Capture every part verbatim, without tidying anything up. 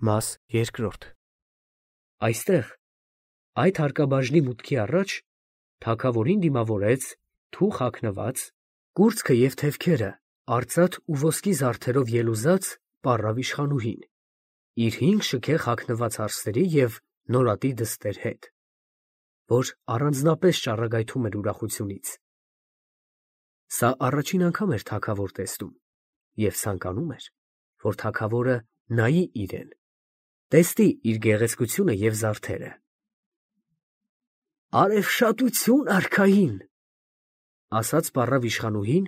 Մաս երկրորդ Այստեղ, այդ հարկաբաժնի մուտքի առաջ, թագավորին դիմավորեց թուխ հագնված, կուրծքը և թևքերը արծաթ ու ոսկի զարդերով ելուզած պառավ իշխանուհին, իր հինգ շքեղ հագնված հարսերի և նորատի դստեր հետ, որ առանձնապես ճառագայթում էր ուրախությունից. սա առաջին անգամ էր թագավոր տեսնում և ցանկանում էր, որ թագավորը նայի իրեն, տեսնի իր գեղեցկությունը և զարդերը։ «Արևշատություն արքային, ֊ ասաց պառավ իշխանուհին,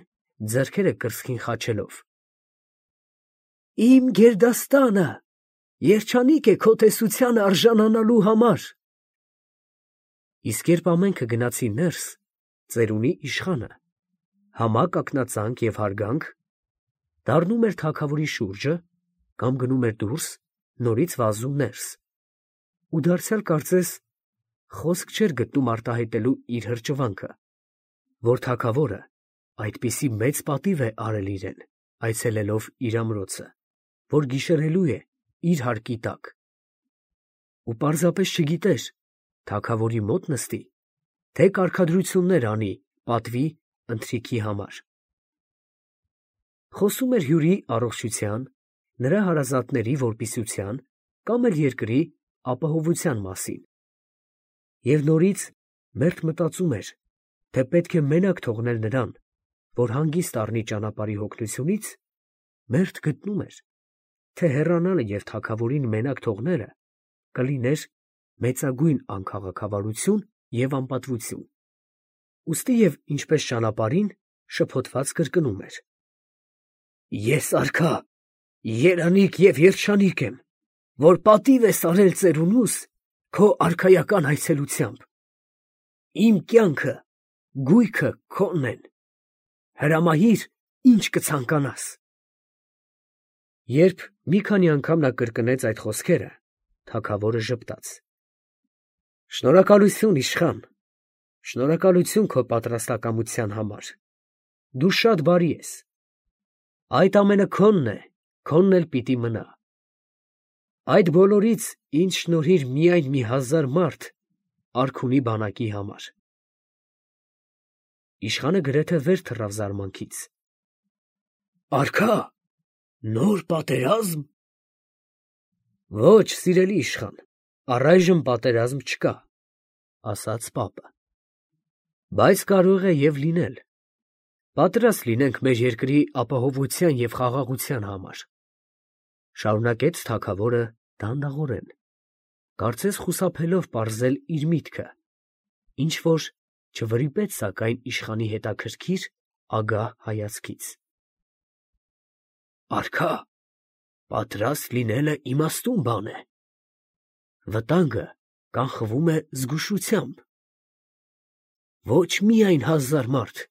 ձեռքերը կրծքին խաչելով, ֊ իմ գերդաստանը երջանիկ է քո տեսությանը արժանանալու համար»։ Իսկ երբ ամենքը գնացին ներս, ծերունի իշխանը, համա կակնածանք և հարգանք, դառնում էր թագավորի շուրջը կամ գնում էր դուրս, նորից վազում ներս, ու դարձյալ կարծես խոսք չէր գտնում արտահայտելու իր հրճվանքը, որ թագավորը այդպիսի մեծ պատիվ է արել իրեն, այցելելով իր ամրոցը, որ գիշերելու է իր հարկի տակ, ու պարզապես չգիտեր թագավորի մոտ նստի, թե կարգադրություններ անի պատվի ընթրիքի համար։ Խոսում էր հյուրի առողջության, նրա հարազատների որպիսության կամ էլ երկրի ապահովության մասին, և նորից մերթ մտածում էր, թե պետք է մենակ թողնել նրան, որ հանգիստ առնի ճանապարհի հոգնությունից, մերթ գտնում էր, թե հեռանալը և թագավորին մենակ թողնելը կլիներ մեծագույն անքաղաքավարություն և անպատվություն, ուստի և ինչպես ճանապարհին, շփոթված կրկնում էր. «Ես արքա, երանիկ և երջանիկ եմ, որ պատիվ ես արել ծերունուս քո արքայական այցելությամբ. իմ կյանքը, գույքը քոնն են, հրամայիր, ինչ կցանկանաս»։ Երբ մի քանի անգամ նա կրկնեց այդ խոսքերը, թագավորը ժպտաց. «Շնորհակալություն, իշխան, շնորհակալություն քո պատրաստակամության համար, դու շատ բարի ես, այդ ամենը քոնն է, քոնն էլ պիտի մնա, այդ բոլորից ինձ շնորհիր միայն մի հազար մարդ արքունի բանակի համար»։ Իշխանը գրեթե վեր թռավ զարմանքից. «Արքա, նոր պատերազմ»։ «Ոչ, սիրելի իշխան, առայժմ պատերազմ չկա, ֊ ասաց պապը, ֊ բայց կարող է և լինել, պատրաստ լինենք մեր երկրի ապահովության և խաղաղության համար, ֊ շարունակեց թագավորը դանդաղորեն, կարծես խուսափելով պարզել իր միտքը, ինչ֊որ չվրիպեց սակայն իշխանի հետաքրքիր, ագահ հայացքից։ «Արքա, պատրաստ լինելը իմաստուն բան է, վտանգը կանխվում է զգուշությամբ, ոչ միայն հազար մարդ,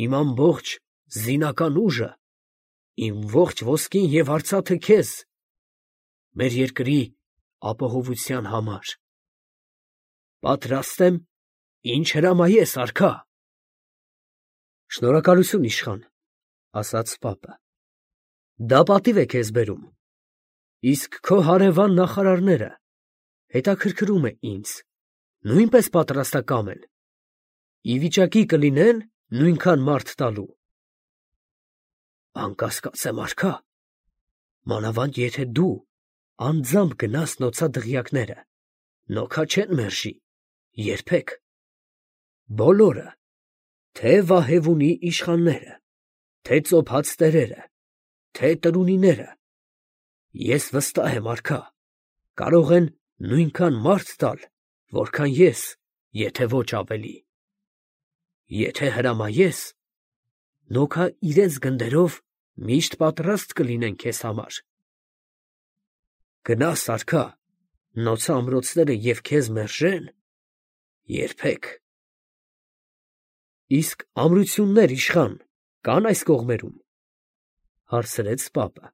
իմ ամբողջ զինական ուժը, իմ ողջ ոսկին և արծաթը քեզ, մեր երկրի ապահովության համար։ Պատրաստ եմ, ինչ հրամայես, արքա»։ «Շնորհակալություն, իշխան, ֊ ասաց պապը, ֊ դա պատիվ է քեզ բերում, իսկ քո հարևան նախարարները, հետաքրքրում է ինձ, նույնպես պատրաստակա՞մ են, ի վիճակի կլինե՞ն նույնքան մարդ տալու»։ «Անկասկած եմ, արքա, մանավանդ եթե դու անձամբ գնաս նոցա դղյակները, նոքա չեն մերժի, երբեք, բոլորը, թե՛ Վահեևունի իշխանները, թե՛ ծոփած տերերը, թե՛ տրունիները, ես վստահ եմ, արքա, կարող են նույնքան մարդ տալ, որքան ես, եթե ոչ ավելի։ Եթե հրամայես, նոքա իրենց գնդերով միշտ պատրաստ կլինեն քեզ համար։ Գնաս, արքա, նոցա ամրոցները և քեզ մերժեն, երբեք»։ «Իսկ ամրություններ, իշխան, կա՞ն այս կողմերում, ֊ հարցրեց պապը։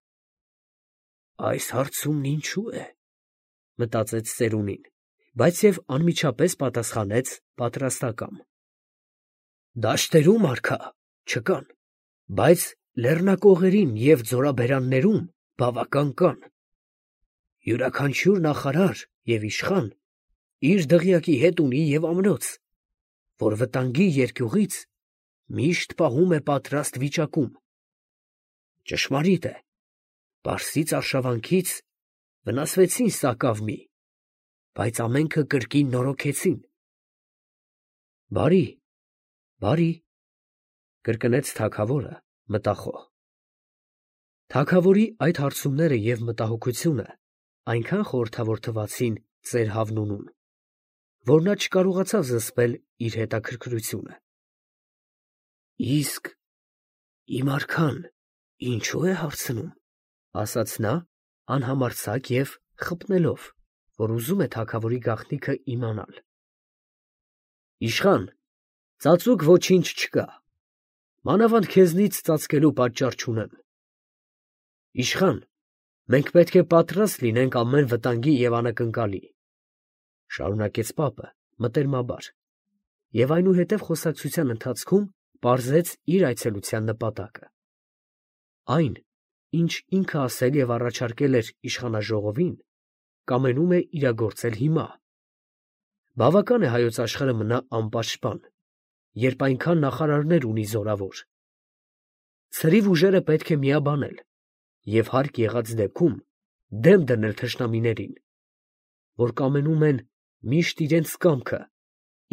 «Այս հարցումն ինչո՞ւ է, ֊ մտածեց ծերունին, բայց և անմիջապես պատասխանեց պատրաստակամ. ֊ Դաշտերում, արքա, չկան, բայց լեռնակողերին և ձորաբերաններում բավական կան։ Յուրաքանչյուր նախարար և իշխան իր դղյակի հետ ունի և ամրոց, որ վտանգի երկյուղից միշտ պահում է պատրաստ վիճակում. ճշմարիտ է, Պարսից արշավանքից վնասվեցին սակավ մի, բայց ամենքը կրկին նորոգեցին։ Բարի, բարի, կրկնեց թագավորը մտախոհ։ Թագավորի այդ հարցումները և մտահոգությունը այնքան խորհրդավոր թվացին ծեր Հավնունուն, որ նա չկարողացավ զսպել իր հետաքրքրությունը։ Իսկ իմ արքան ինչո՞ւ է հարցնում, ասաց նա անհամարձակ և խփնելով, որ ուզում է թագավորի գաղտնիքը իմանալ։ Իշխան, ծածուկ ոչինչ չկա, մանավանդ քեզնից ծածկելու պատճառ չունեմ։ Իշխան, մենք պետք է պատրաստ լինենք ամեն վտանգի և անակնկալի, շարունակեց պապը մտերմաբար, և այնուհետև խոսակցության ընթացքում պարզեց իր այցելության նպատակը։ Այն, ինչ ինքը ասել և առաջարկել էր իշխանաժողովին, կամենում է իրագործել հիմա։ Բավական է հայոց աշխարհը մնա անպաշտպան, երբ այնքան նախարարներ ունի զորավոր։ Ցրիվ ուժերը պետք է միաբանել և հարկ եղած դեպքում դեմ դնել թշնամիներին, որ կամենում են միշտ իրենց կամքը,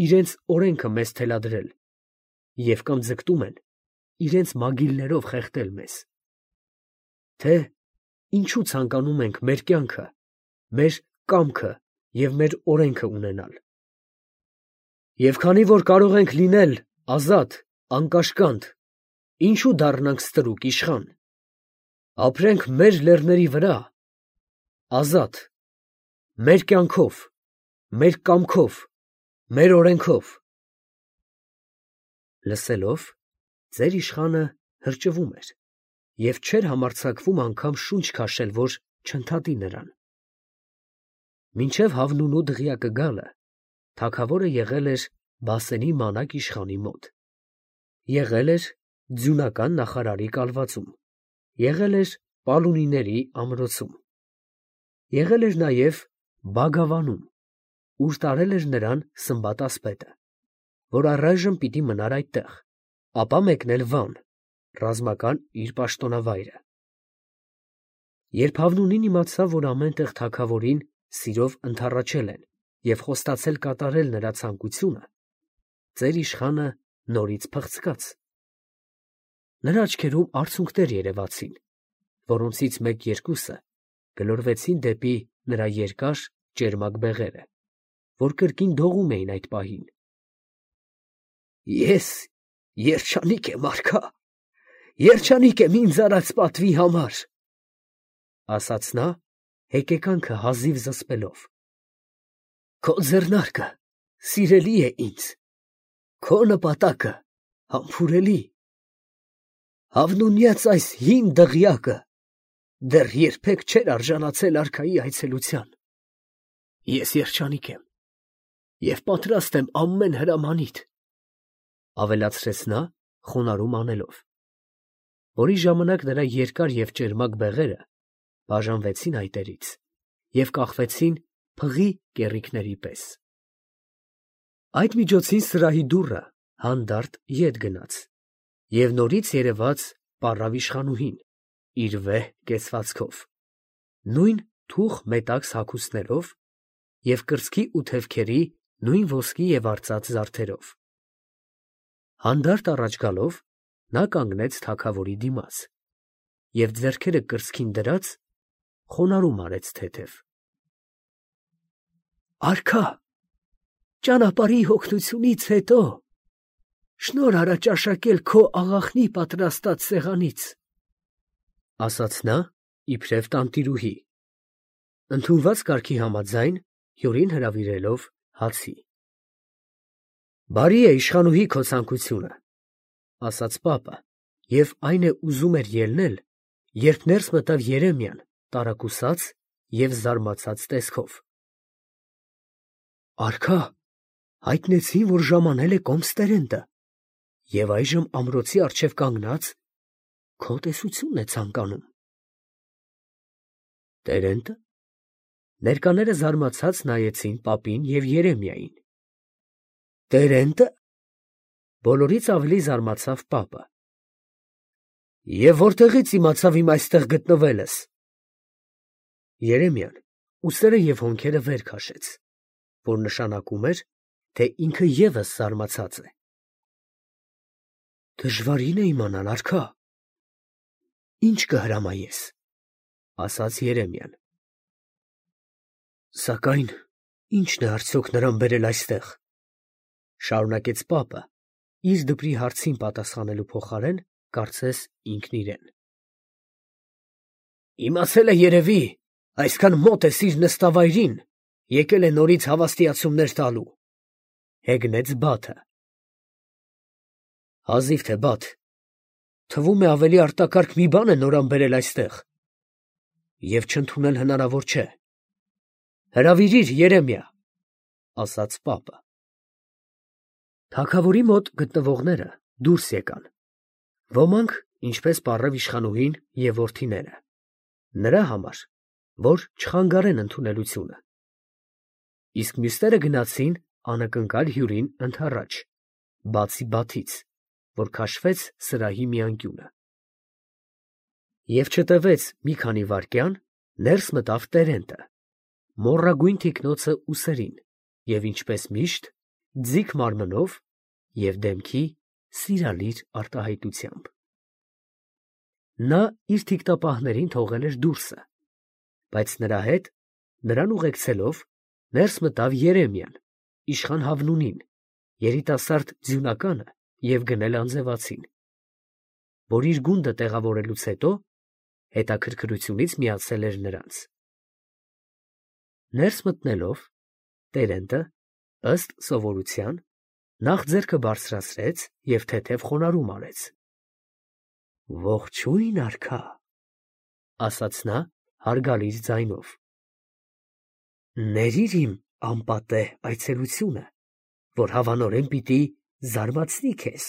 իրենց օրենքը մեզ թելադրել և կամ ձգտում են իրենց մագիլներով խեղդել մեզ։ Թե ինչու ցանկանում ենք մեր կյանքը, մեր կամքը և մեր օրենքը ունենալ։ Եվ քանի որ կարող ենք լինել ազատ, անկաշկանդ, ինչու դառնանք ստրուկ, իշխան։ Ապրենք մեր լեռների վրա, ազատ, մեր կյանքով, մեր կամքով, մեր օրենքով։ Լսելով, ծեր իշխանը հրճվում էր և չէր համարձակվում անգամ շունչ քաշել, որ չընդհատի նրան։ Մինչև Հավնունու դղյակը գալը, թագավորը եղել էր Բասենի մանակ իշխանի մոտ, եղել էր ձյունական նախարարի կալվածում, եղել էր պալունիների ամրոցում, եղել էր նաև Բագավանում, ուր տարել էր նրան Սմբատ ասպետը, որ առայժմ պիտի մնար այդտեղ, ապա մեկնել Վան, ռազմական իր պաշտոնավայրը։ Երբ Հավնունին իմացավ, որ ամեն տեղ թագավորին սիրով ընդառաջել են և խոստացել կատարել նրա ցանկությունը, ծեր իշխանը նորից փղցկաց։ Նրա աչքերում արցունքներ երևացին, որոնցից մեկ֊երկուսը գլորվեցին դեպի նրա երկար, ճերմակ բեղերը, որ կրկին դողում էին այդ պահին։ Ես երջանիկ եմ, արքա, երջանիկ եմ ինձ արած պատվի համար, ասաց նա, հեկեկանքը հազիվ զսպելով։ Քո ձեռնարկը սիրելի է ինձ, քո նպատակը համբուրելի։ Հավնունյաց այս հին դղյակը դեռ երբեք չէր արժանացել արքայի այցելության։ Ես երջանիկ եմ և պատրաստ եմ ամեն հրամանիդ, ավելացրեց նա խոնարհում անելով, որի ժամանակ նրա երկար և ճերմակ բեղերը բաժանվեցին այտերից և կախվեցին փղի կեռիկների պես։ Այդ միջոցին սրահի դուռը հանդարտ ետ գնաց, և նորից երևաց պառավ իշխանուհին իր վեհ կեցվածքով, նույն թուխ մետաքս հագուստներով և կրծքի ու թևքերի նույն ոսկի և արծաթ զարդերով։ Հանդարտ առաջ գալով, նա կանգնեց թագավորի դիմաց և ձեռքերը կրծքին դրած խոնարհում արեց թեթև։ Արքա, ճանապարհի հոգնությունից հետո շնորհ արա ճաշակել քո աղախնի պատրաստած սեղանից, ասաց նա իբրև տանտիրուհի, ընդունված կարգի համաձայն հյուրին հրավիրելով հացի։ Բարի է իշխանուհի քո ցանկությունը, ասաց պապը, և այն է ուզում էր ելնել, երբ ներս մտավ Երեմիան տարակուսած և զարմացած տեսքով։ Արքա, հայտնեցին, որ ժամանել է կոմստերենտը և այժմ ամրոցի առջև կանգնած քո տեսությունն է ցանկանում։ Տերենտը, Ներկաները զարմացած նայեցին պապին և Երեմիային։ Տերենտը։ Բոլորից ավելի զարմացավ պապը։ Եվ որտեղից իմացավ իմ այստեղ գտնվելս։ Երեմիան ուսերը և հոնքերը վեր քաշեց, որ նշանակում էր, թե ինքը ևս զարմացած է։ Դժվարին է իմանալ, արքա։ Ինչ կհրամայես, ասաց Երեմիան։ Սակայն ի՞նչն է արդյոք նրան բերել այստեղ, շարունակեց պապը, իր դպրի հարցին պատասխանելու փոխարեն, կարծես ինքն իրեն։ Իմացել է երևի, այսքան մոտ ես իր նստավայրին, եկել է նորից հավաստիացումներ տալու, հեգնեց Բաթը։ Հազիվ թե Բաթ, թվում է ավելի արտակարգ մի բան է նորան բերել այստեղ, և չընդունել հնարավոր չէ։ Հրավիրիր Երեմիա, ասաց պապը։ Թագավորի մոտ գտնվողները դուրս եկան, ոմանք, ինչպես պարև իշխանուհին և որդիները, նրա համար, որ չխանգարեն ընդունելությունը, իսկ մյուսները գնացին անակնկալ հյուրին ընդառաջ, բացի Բաթից, որ քաշվեց սրահի մի անկյունը։ Եվ չտևեց մի քանի վայրկյան, ներս մտավ Տերենտը, մոռագույն թիկնոցը ուսերին և ինչպես միշտ, ձիգ մարմնով և դեմքի սիրալիր արտահայտությամբ։ Նա իր թիկնապահներին թողել էր դուրսը, բայց նրա հետ, նրան ուղեկցելով, ներս մտավ Երեմիան, իշխան Հավնունին, երիտասարդ ձյունականը և գնել անձևացին, որ իր գունդը տեղավորելուց հետո հետաքրքրությունից միացել էր նրանց։ Ներս մտնելով, Տերենտը, ըստ սովորության, նախ ձեռքը բարձրացրեց և թեթև խոնարհում արեց։ Ողջույն, արքա, ասաց նա հարգալից ձայնով։ Ներիր իմ անպատեհ այցելությունը, որ հավանորեն պիտի զարմացնի քեզ,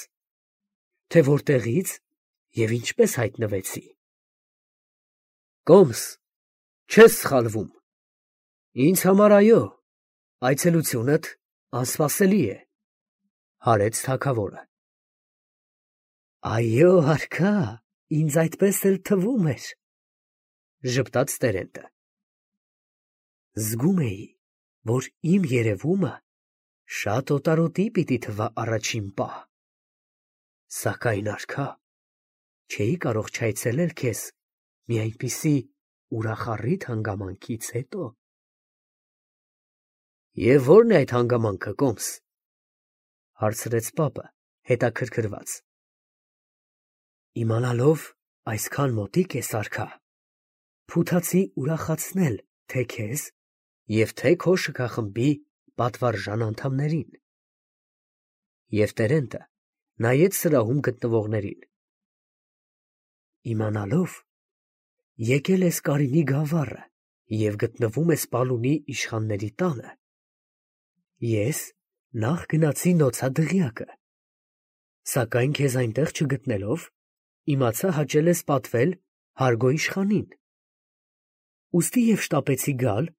թե որտեղից և ինչպես հայտնվեցի։ Կոմս, չես սխալվում։ Ինձ համար այո, այցելությունդ անսպասելի է, հարեց թագավորը։ Այո, արքա, ինձ այդպես էլ թվում էր, ժպտաց Տերենտը։ Զգում էի, որ իմ երևումը շատ օտարոտի պիտի թվա առաջին պահ, սակայն, արքա, չէի կարող չայցելել քեզ մի այնպիսի ուրախառիթ հանգամանքից հետո։ Եվ ո՞րն է այդ հանգամանքը, Կոմս, հարցրեց պապը, հետաքրքրված։ Իմանալով այսքան մոտիկ ես, արքա, փութացի ուրախացնել թե քեզ և թե քո շքախմբի պատվարժան անդամներին։ Եվ Տերենտը նայեց սրահում գտնվողներին։ Իմանալով, եկել ես Կարինի գավառը և գտնվում ես Պալունի իշխանների տանը, ես նախ գնացի նոցա դղյակը, սակայն քեզ այնտեղ չգտնելով, իմացա հաճել ես պատվել Հարգո իշխանին, ուստի և շտապեցի գալ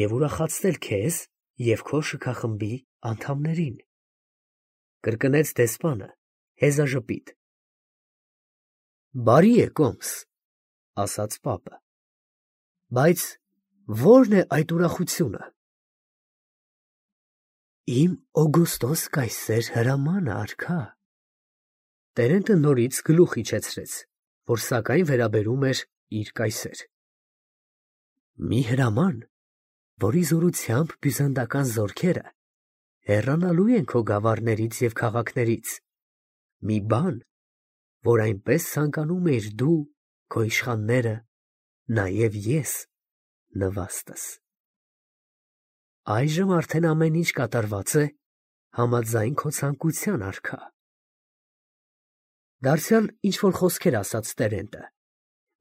և ուրախացնել քեզ և քո շքախմբի անդամներին, կրկնեց դեսպանը հեզաժպիտ։ Բարի է, Կոմս, ասաց պապը, բայց ո՞րն է այդ ուրախությունը։ Իմ Օգոստոս կայսեր հրամանը, արքա։ Տերենտը նորից գլուխ իջեցրեց, որ սակայն վերաբերում էր իր կայսեր։ Մի հրաման, որի զորությամբ բյուզանդական զորքերը հեռանալու են քո գավառներից և քաղաքներից, մի բան, որ այնպես ցանկանում էիր դու, քո իշխանները, նաև ես նվաստս։ Այժմ արդեն ամեն ինչ կատարված է համաձայն քո ցանկության, արքա։ Դարձյալ ինչ֊որ խոսքեր ասաց Տերենտը,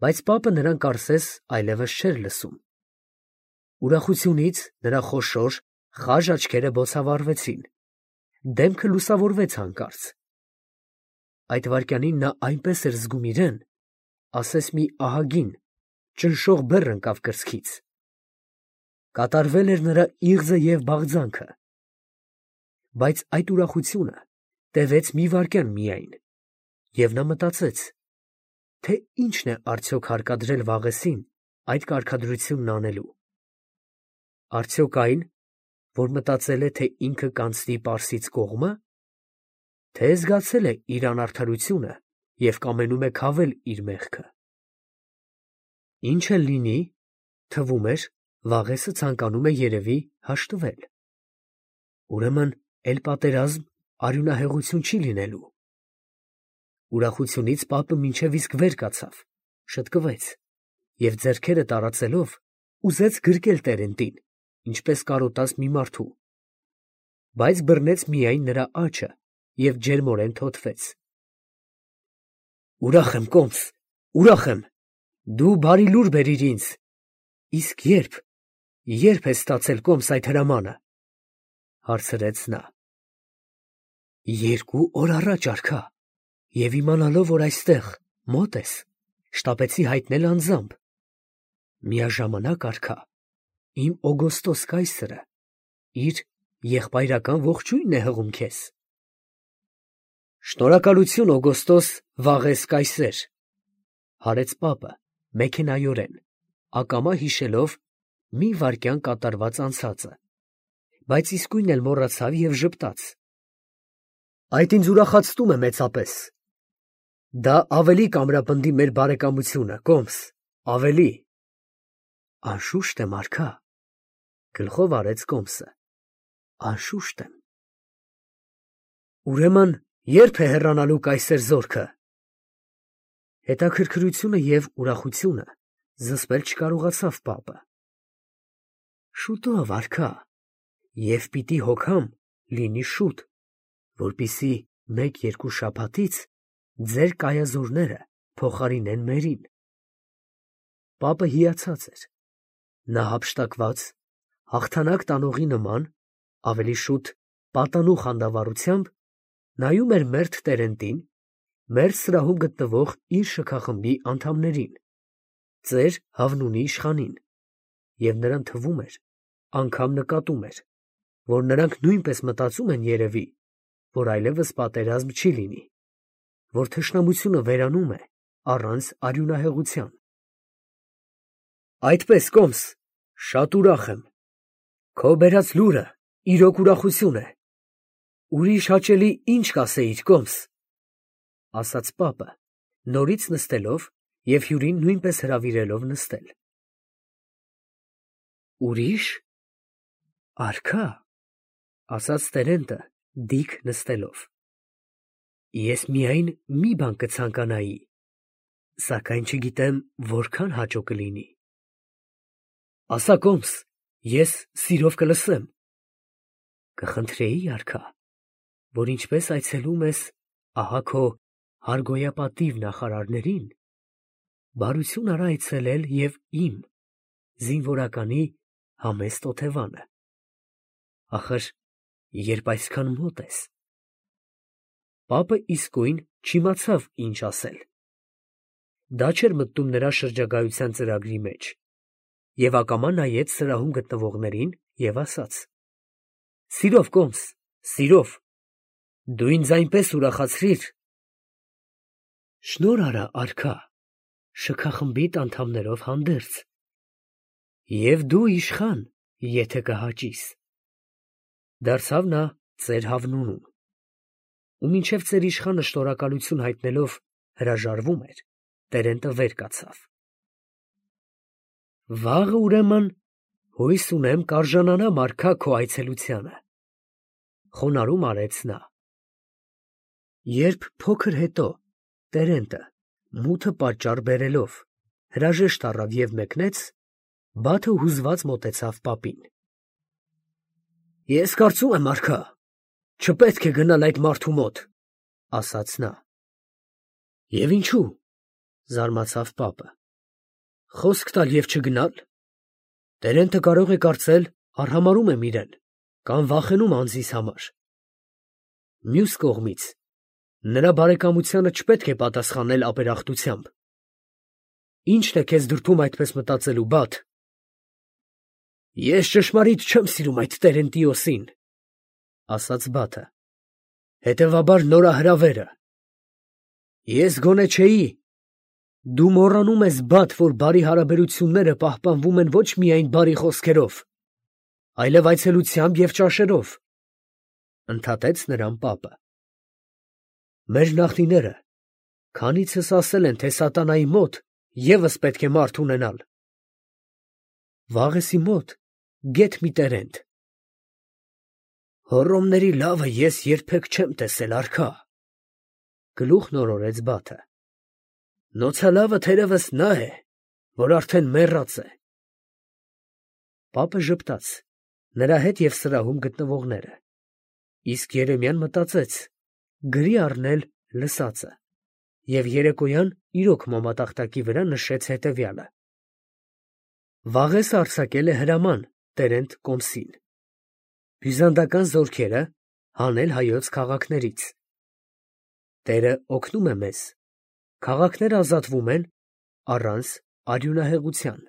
բայց պապը նրան կարծես այլևս չէր լսում։ Ուրախությունից նրա խոշոր, խաժ աչքերը բոցավառվեցին, դեմքը լուսավորվեց հանկարծ։ Այդ վայրկյանին նա այնպես էր զգում իրեն, ասես մի ահագին, ճնշող բեռ ընկավ կրծքից։ կատարվել էր նրա իղձը և բաղձանքը, բայց այդ ուրախությունը տևեց մի վայրկյան միայն, և նա մտածեց, թե ի՞նչն է արդյոք հարկադրել Վաղեսին այդ կարգադրությունն անելու. արդյոք այն, որ մտածել է, թե ինքը կանցնի Պարսից կողմը, թե զգացել է իր անարդարությունը և կամենում է քավել իր մեղքը։ Ինչ էլ լինի, թվում էր, Վաղեսը ցանկանում է երևի հաշտվել։ Ուրեմն էլ պատերազմ, արյունահեղություն չի լինելու։ Ուրախությունից պապը մինչև իսկ վեր կացավ, շտկվեց և ձեռքերը տարածելով ուզեց գրկել տերենտին, ինչպես կարոտած մի մարդու, բայց բռնեց միայն նրա աջը և ջերմորեն թոթվեց։ Ուրախ եմ, կոմս, ուրախ եմ, դու բարի լուր բերիր ինձ, իսկ ե՞րբ, ե՞րբ ես ստացել, կոմս, այդ հրամանը, հարցրեց նա։ Երկու օր առաջ, արքա, և իմանալով, որ այստեղ մոտ ես, շտապեցի հայտնել անձամբ։ Միաժամանակ, արքա, իմ Օգոստոս կայսրը իր եղբայրական ողջույնն է հղում քեզ։ Շնորհակալություն, Օգոստոս Վաղես կայսեր, հարեց պապը մեքենայորեն, ակամա հիշելով մի վայրկյան կատարված անցածը, բայց իսկույն էլ մոռացավ և ժպտաց։ Այդ ինձ ուրախացնում է մեծապես։ Դա ավելի կամրապնդի մեր բարեկամությունը, կոմս, ավելի։ Անշուշտ եմ, արքա, գլխով արեց կոմսը, անշուշտ եմ։ Ուրեմն ե՞րբ է հեռանալու կայսեր զորքը։ Հետաքրքրությունը և ուրախությունը զսպել չկարողացավ պապը։ Շուտով, արքա, և պիտի հոգամ լինի շուտ, որպեսզի մեկ֊երկու շաբաթից ձեր կայազորները փոխարինեն մերին։ Պապը հիացած էր, նա հափշտակված, հաղթանակ տանողի նման, ավելի շուտ պատանու խանդավառությամբ նայում էր մերթ տերենտին, մերթ սրահում գտնվող իր շքախմբի անդամներին, ծեր Հավնունի իշխանին, և նրան թվում էր, անգամ նկատում էր, որ նրանք նույնպես մտածում են երևի, որ այլևս պատերազմ չի լինի, որ թշնամությունը վերանում է առանց արյունահեղության։ Այդպես, կոմս, շատ ուրախ եմ, քո բերած լուրը իրոք ուրախություն է, ուրիշ հաճելի ինչ կասեիր, կոմս, ասաց պապը, նորից նստելով և հյուրին նույնպես հրավիրելով նստել։ Ուրիշ, արքա, ասաց տերենտը դիկ նստելով, ես միայն մի բան կցանկանայի, սակայն չգիտեմ որքան հաճո կլինի։ Ասա, կոմս, ես սիրով կլսեմ։ Կխնդրեի, արքա, որ ինչպես այցելում ես ահա քո հարգոյապատիվ նախարարներին, բարություն արա այցելել և իմ զինվորականի համեստ օթևանը, ախր երբ այսքան մոտ ես։ Պապը իսկույն չիմացավ ինչ ասել։ Դա չէր մտնում նրա շրջագայության ծրագրի մեջ, և ակամա նայեց սրահում գտնվողներին և ասաց. Սիրով, կոմս, սիրով, դու ինձ այնպես ուրախացրիր։ Շնորհ արա, արքա, շքախմբիդ անդամներով հանդերձ, և դու իշխան, եթե կհաճիս, դարձավ նա ծեր Հավնունուն, ու մինչև ծեր իշխանը շնորհակալություն հայտնելով հրաժարվում էր, տերենտը վեր կացավ։ Վաղը, ուրեմն, հույս ունեմ կարժանանամ, արքա, քո այցելությանը, խոնարհում արեց նա։ Երբ փոքր հետո տերենտը մութը պատճառ բերելով հրաժեշտ առավ և մեկնեց, Բաթը հուզված մոտեցավ պապին։ Ես կարծում եմ, արքա, չպետք է գնալ այդ մարդու մոտ, ասաց նա։ Եվ ինչու, զարմացավ պապը, խոսք տալ և չգնալ։ Տերենտը կարող է կարծել արհամարհում եմ իրեն, կամ վախենում անձիս համար։ Մյուս կողմից, նրա բարեկամությանը չպետք է պատասխանել ապերախտությամբ։ Ի՞նչն է քեզ դրդում այդպես մտածելու, Բաթ։ Ես ճշմարիտ չեմ սիրում այդ Տերենտիոսին, ասաց Բաթը, հետևաբար նորահրավերը։ Ես գոնե չէի։ Դու մոռանում ես, Բաթ, որ բարի հարաբերությունները պահպանվում են ոչ միայն բարի խոսքերով, այլև այցելությամբ և ճաշերով, ընդհատեց նրան պապը։ Մեր նախնիները քանիցս ասել են, թե սատանայի մոտ ևս պետք է մարդ ունենալ։ Վաղեսի մոտ գեթ մի տերենտ։ Հոռոմների լավը ես երբեք չեմ տեսել, արքա, գլուխն օրորեց Բաթը։ Նոցալավը թերևս նա է, որ արդեն մեռած է։ Պապը ժպտաց, նրա հետ և սրահում գտնվողները, իսկ Երեմիան մտածեց գրի առնել լսածը և երեկոյան իրոք մոմատախտակի վրա նշեց հետևյալը. Վաղեսը արձակել է հրաման տերենտ Կոմսին բյուզանդական զորքերը հանել հայոց քաղաքներից։ Տերը օգնում է մեզ, քաղաքները ազատվում են առանց արյունահեղության։